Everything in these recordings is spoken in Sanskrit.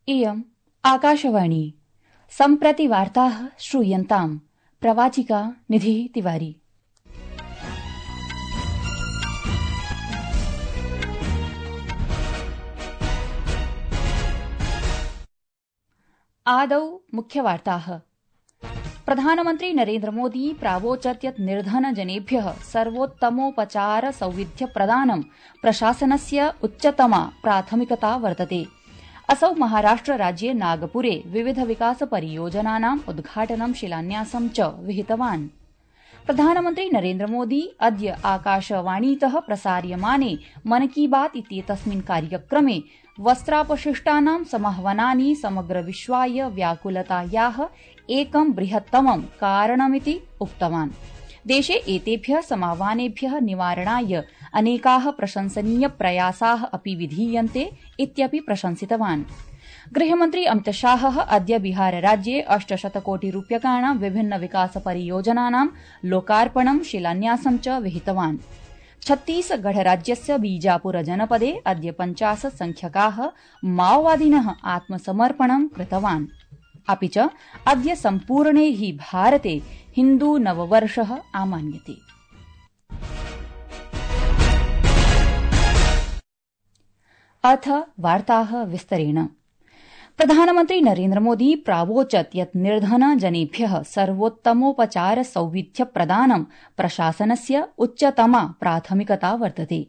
इयम् आकाशवाणी सम्प्रति वार्ताः श्रूयन्ताम् प्रवाचिका निधिः तिवारी। आदौ मुख्यवार्ताः। प्रधानमन्त्री नरेन्द्र मोदी प्रावोचत् यत् निर्धनजनेभ्यः सर्वोत्तमोपचार सौविध्यप्रदानं प्रशासनस्य उच्चतमा प्राथमिकता वर्तते। असौ महाराष्ट्रराज्ये नागपुरे विविध विकास परियोजनानाम् उद्घाटनं शिलान्यासं च विहितवान्। प्रधानमन्त्री नरेन्द्र मोदी अद्य आकाशवाणीतः प्रसार्यमाने मन की बात इत्येतस्मिन् कार्यक्रमे वस्त्रापशिष्टानां समाह्वानानि समग्र विश्वाय व्याकुलतायाः एकं बृहत्तमं कारणमिति उक्तवान्। देशे एतेभ्यः समाह्वानेभ्यः निवारणाय अनेकाः प्रशंसनीय प्रयासाः अपि विधीयन्ते इत्यपि प्रशंसितवान्। गृहमन्त्री अमितशाहः अद्य बिहारराज्ये 800 कोटिरूप्यकाणां विभिन्न विकास परियोजनानां लोकार्पणं शिलान्यासं च विहितवान्। छत्तीसगढ़राज्यस्य बीजापुर जनपदे अद्य 50 संख्यकाः माओवादिनः आत्मसमर्पणं कृतवान्। अपि च अद्य सम्पूर्णे हि भारते हिन्दू नववर्षः आमान्यते। अथ वार्ताः विस्तरेण। प्रधानमन्त्री नरेन्द्र मोदी प्रावोचत् यत् निर्धनजनेभ्यः सर्वोत्तमोपचार सौविध्यप्रदानं प्रशासनस्य उच्चतमा प्राथमिकता वर्तते।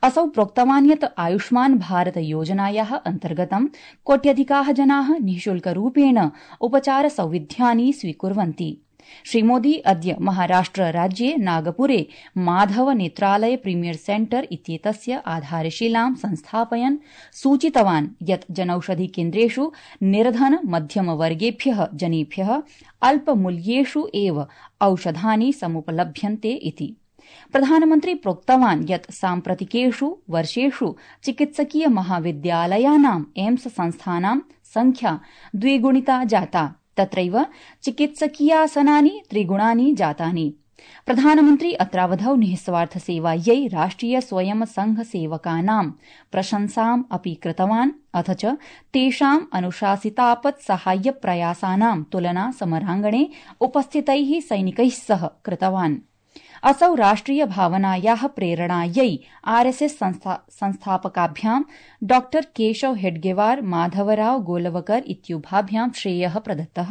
असौ प्रोक्तवान् यत् आयुष्मान् भारत योजनायाः अन्तर्गतं कोट्यधिकाः जनाः निःशुल्करूपेण उपचार सौविध्यानि स्वीकुर्वन्ति। श्रीमोदी अद्य महाराष्ट्रराज्ये नागपुरे माधव नेत्रालय प्रीमियर सेंटर इत्येतस्य आधारशिलां संस्थापयन् सूचितवान् यत् जनौषधि केन्द्रेषु निर्धन मध्यमवर्गेभ्यः जनेभ्यः अल्पमूल्येषु एव औषधानि समुपलभ्यन्ते इति। प्रधानमन्त्री प्रोक्तवान् यत् साम्प्रतिकेषु वर्षेषु चिकित्सकीय महाविद्यालयानाम् एम्स संस्थानां संख्या द्विगुणिता जाता, तत्रैव चिकित्सकीयासनानि त्रिगुणानि जातानि। प्रधानमन्त्री अत्रावधौ निःस्वार्थ सेवायै राष्ट्रिय स्वयं संघ सेवकानां प्रशंसाम् अपि कृतवान्, अथ च तेषां अनुशासितापत् साहाय्य प्रयासानां तुलना समराङ्गणे उपस्थितैः सैनिकैः सह कृतवान्। असौ राष्ट्रिय भावनायाः प्रेरणायै आरएसएस संस्थापकाभ्यां डॉ केशव हेडगेवार माधवराव गोलवकर इत्युभाभ्यां श्रेयः प्रदत्तः।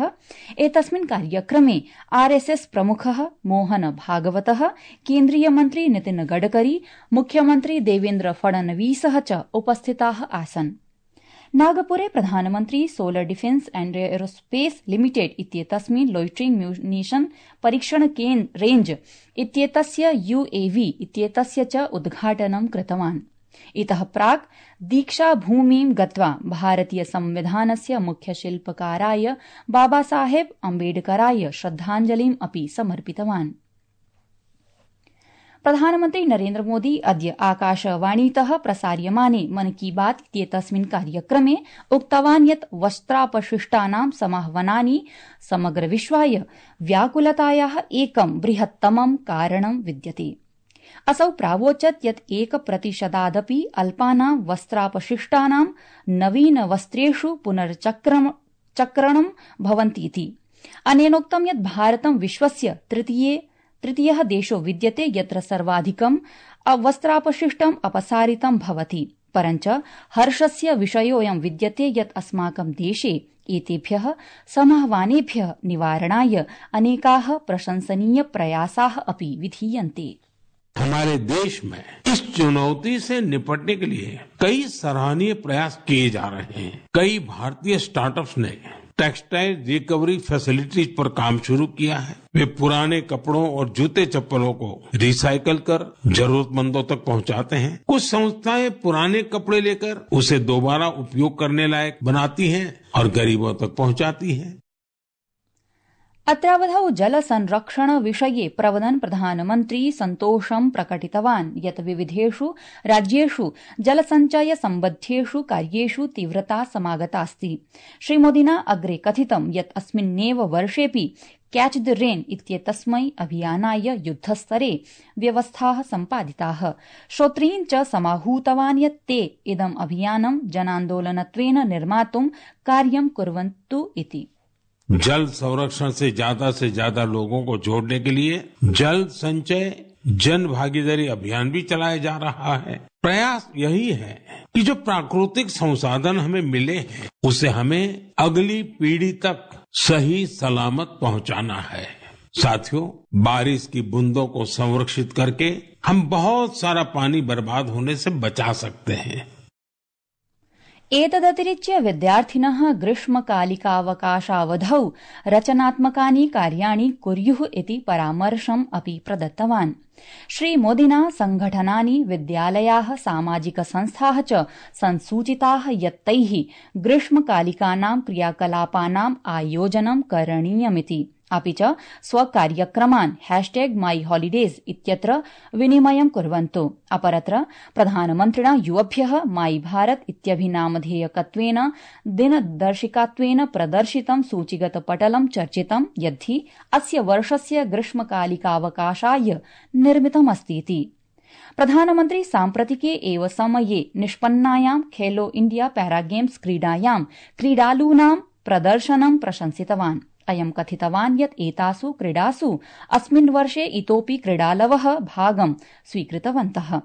एतस्मिन् कार्यक्रमे आरएसएस प्रमुखः मोहन भागवतः, केन्द्रीय मन्त्री नितिन गडकरी, मुख्यमन्त्री देवेन्द्र फडणवीसः च उपस्थिताः आसन्। नागपुरे प्रधानमन्त्री solar defence and aerospace limited इत्येतस्मिन् लोइटरिंग म्यूनिशन परीक्षण रेंज इत्येतस्य यूएवी इत्येतस्य च उद्घाटनं कृतवान्। इतः प्राक् दीक्षाभूमिं गत्वा भारतीय संविधानस्य मुख्यशिल्पकाराय बाबासाहेब अम्बेडकराय श्रद्धाञ्जलिम् अपि समर्पितवान्। प्रधानमन्त्री नरेन्द्र मोदी अद्य आकाशवाणीतः प्रसार्यमाने मन की बात इत्येतस्मिन् कार्यक्रमे उक्तवान् यत् वस्त्रापशिष्टानां समाह्वानानि समग्र विश्वाय व्याकुलतायाः एकं बृहत्तमं कारणं विद्यते। असौ प्रावोचत् यत् 1% अल्पानां वस्त्रापशिष्टानां नवीनवस्त्रेषु पुनर्चक्रणं भवन्तीति। अनेनोक्तं यत् भारतं विश्वस्य तृतीयः देशो विद्यते यत्र सर्वाधिकं वस्त्रापशिष्टम् अपसारितं भवति। परञ्च हर्षस्य विषयोऽयं विद्यते यत् अस्माकं देशे एतेभ्यः समाह्वानेभ्यः निवारणाय अनेकाः प्रशंसनीय प्रयासाः अपि विधीयन्ते। हमारे देश में इस चुनौती से निपटने के लिए कई सराहनीय प्रयास किए जा रहे हैं। कई भारतीय स्टार्टअप्स ने टेक्सटाइल रिकवरी फैसिलिटीज पर काम शुरू किया है। वे पुराने कपड़ों और जूते चप्पलों को रिसाइकल कर जरूरतमंदों तक पहुंचाते हैं। कुछ संस्थाएं पुराने कपड़े लेकर उसे दोबारा उपयोग करने लायक बनाती हैं और गरीबों तक पहुंचाती हैं। अत्रावधौ जल संरक्षण विषये प्रवदन् प्रधानमन्त्री सन्तोषं प्रकटितवान् यत् विविधेषु राज्येषु जलसञ्चय सम्बद्धेषु कार्येषु तीव्रता समागतास्ति। श्रीमोदिना अग्रे कथितं यत् अस्मिन्नेव वर्षेऽपि कैच द रेन इत्येतस्मै अभियानाय युद्धस्तरे व्यवस्थाः सम्पादिताः। श्रोतॄन् च समाहूतवान् यत् ते इदम् अभियानं जनान्दोलनत्वेन निर्मातुं कार्यं कुर्वन्तु इति। जल संरक्षण से ज्यादा लोगों को जोड़ने के लिए जल संचय जन भागीदारी अभियान भी चलाया जा रहा है। प्रयास यही है कि जो प्राकृतिक संसाधन हमें मिले हैं उसे हमें अगली पीढ़ी तक सही सलामत पहुंचाना है। साथियों, बारिश की बूंदों को संरक्षित करके हम बहुत सारा पानी बर्बाद होने से बचा सकते हैं। एतदतिरिच्य विद्यार्थिनः ग्रीष्मकालिकावकाशावधौ रचनात्मकानि कार्याणि कुर्युः इति परामर्शम् अपि प्रदत्तवान्। श्रीमोदिना संघटनानि, विद्यालयाः, सामाजिकसंस्थाः च संसूचिताः यत् तैः ग्रीष्मकालिकानां क्रियाकलापानाम् आयोजनं करणीयमिति। अपि च स्वकार्यक्रमान् #myholidays इत्यत्र विनिमयं कुर्वन्तु। अपरत्र प्रधानमन्त्रिणा युवभ्यः माई भारत इत्यभिनामधेयकत्वेन दिनदर्शिकात्वेन प्रदर्शितं सूचीगतपटलं चर्चितं यद्धि अस्य वर्षस्य ग्रीष्मकालिकावकाशाय निर्मितमस्तीति। प्रधानमन्त्री साम्प्रतिके एव समये निष्पन्नायां खेलो इंडिया पैरागेम्स क्रीडायां क्रीडालूनां प्रदर्शनं प्रशंसितवान्। अयं कथितवान् यत् एतासु क्रीडासु अस्मिन् वर्षे इतोपि क्रीडालवः भागं स्वीकृतवन्तः।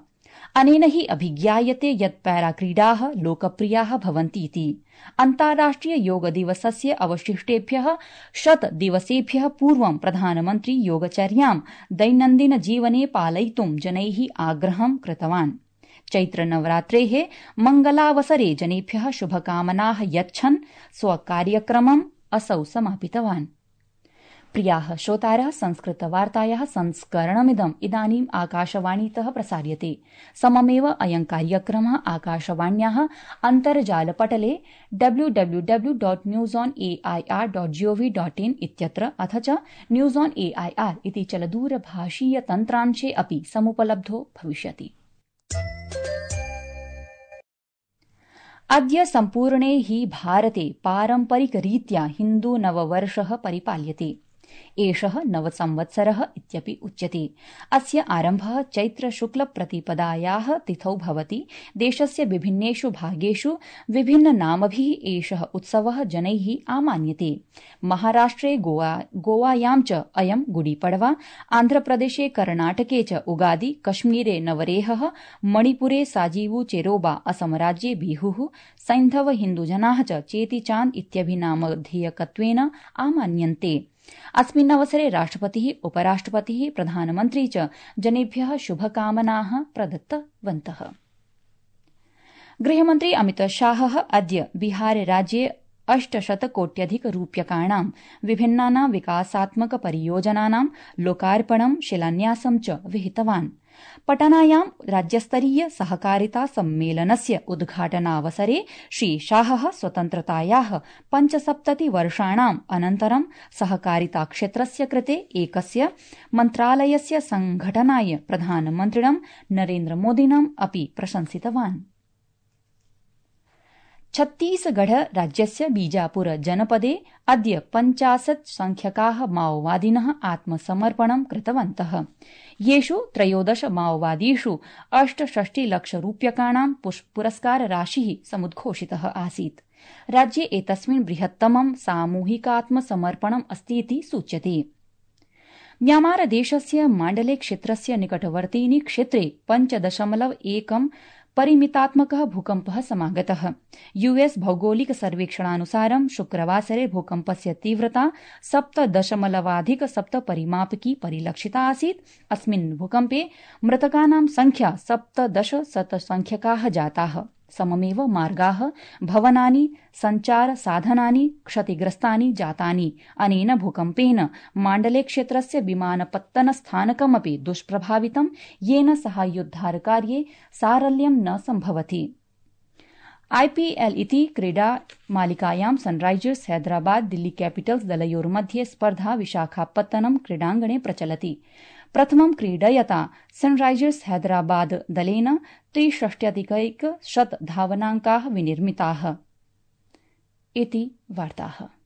अनेन हि अभिज्ञायते यत् पैराक्रीडाः लोकप्रियाः भवन्तीति। अन्ताराष्ट्रिय योग दिवसस्य अवशिष्टेभ्यः 100 दिवसेभ्यः पूर्वं प्रधानमन्त्री योगचर्यां दैनन्दिन जीवने पालयितुं जनैः आग्रहं कृतवान्। चैत्रनवरात्रेः मङ्गलावसरे जनेभ्यः शुभकामनाः यच्छन् स्वकार्यक्रमम् असौ समापितवान्। प्रियाः श्रोतारः, संस्कृतवार्तायाः संस्करणमिदम् इदानीम् आकाशवाणीतः प्रसार्यते। सममेव अयं कार्यक्रमः आकाशवाण्याः अन्तर्जालपटले www.newsonair.gov.in इत्यत्र अथ च न्यूज़ ऑन एआईआर इति चलदूरभाषीय तन्त्रांशे अपि समुपलब्धो भविष्यति। अद्य सम्पूर्णे हि भारते पारम्परिकरीत्या हिन्दू नववर्षः परिपाल्यते। एषः नवसंवत्सरः इत्यपि उच्यते। अस्य आरम्भः चैत्रशुक्लप्रतिपदायाः तिथौ भवति। देशस्य विभिन्नेषु भागेषु विभिन्ननामभिः एषः उत्सवः जनैः आमान्यते। महाराष्ट्रे गोवायां च अयं गुडीपड़वा, आन्ध्रप्रदेशे कर्णाटके च उगादि, कश्मीरे नवरेहः, मणिपुरे साजीवू चेरोबा, असमराज्ये बिहुः, सैन्धव हिन्दुजनाः च चेतीचान्द इत्यभिनामधेयकत्वेन आमान्यन्ते। अस्मिन् अवसरे राष्ट्रपतिः, उपराष्ट्रपतिः, प्रधानमन्त्री च जनेभ्यः शुभकामनाः प्रदत्तवन्तः। गृहमन्त्री अमितशाहः अद्य बिहारराज्ये 800 कोट्यधिकरूप्यकाणां विभिन्नानां विकासात्मक परियोजनानां लोकार्पणं, शिलान्यासं च विहितवान्। पटनायां राज्यस्तरीय सहकारिता सम्मेलनस्य उद्घाटनावसरे श्रीशाहः स्वतन्त्रतायाः 75 वर्षाणाम् अनन्तरं सहकारिताक्षेत्रस्य कृते एकस्य मन्त्रालयस्य संघटनाय प्रधानमन्त्रिणं नरेन्द्रमोदिनम् अपि प्रशंसितवान्। छत्तीसगढ़ राज्यस्य बीजापुर जनपदे अद्य 50 संख्यकाः माओवादिनः आत्मसमर्पणं कृतवन्तः। येषु 13 माओवादीषु 68 लक्षरूप्यकाणां पुरस्कारराशिः समुद्घोषितः आसीत्। राज्ये एतस्मिन् बृहत्तमं सामूहिकात्मसमर्पणम् अस्तीति सूच्यते। म्यांमारदेशस्य माण्डले क्षेत्रस्य निकटवर्तीनि क्षेत्रे 5.1 परिमितात्मकः भूकम्पः समागतः। यूएस भौगोलिक सर्वेक्षणानुसारं शुक्रवासरे भूकम्पस्य तीव्रता 7.7 परिमापकी परिलक्षिता आसीत्। अस्मिन् भूकम्पे मृतकानां संख्या 17 संख्यकाः जाताः। सममेव मार्गाः, भवनानि, सञ्चारसाधनानि क्षतिग्रस्तानि जातानि। अनेन भूकम्पेन माण्डले क्षेत्रस्य विमानपत्तनस्थानकमपि दुष्प्रभावितं, येन साहाय्योद्धारकार्ये सारल्यं न सम्भवति। आईपीएल इति क्रीडामालिकायां सनराइजर्स हैदराबाद दिल्ली कैपिटल्स दलयोर्मध्ये स्पर्धा विशाखापत्तनम क्रीडाङ्गणे प्रचलति। प्रथमं क्रीडयता सनराइजर्स हैदराबाद दलेन 63 धावनाङ्काः विनिर्मिताः। इति वार्ताः।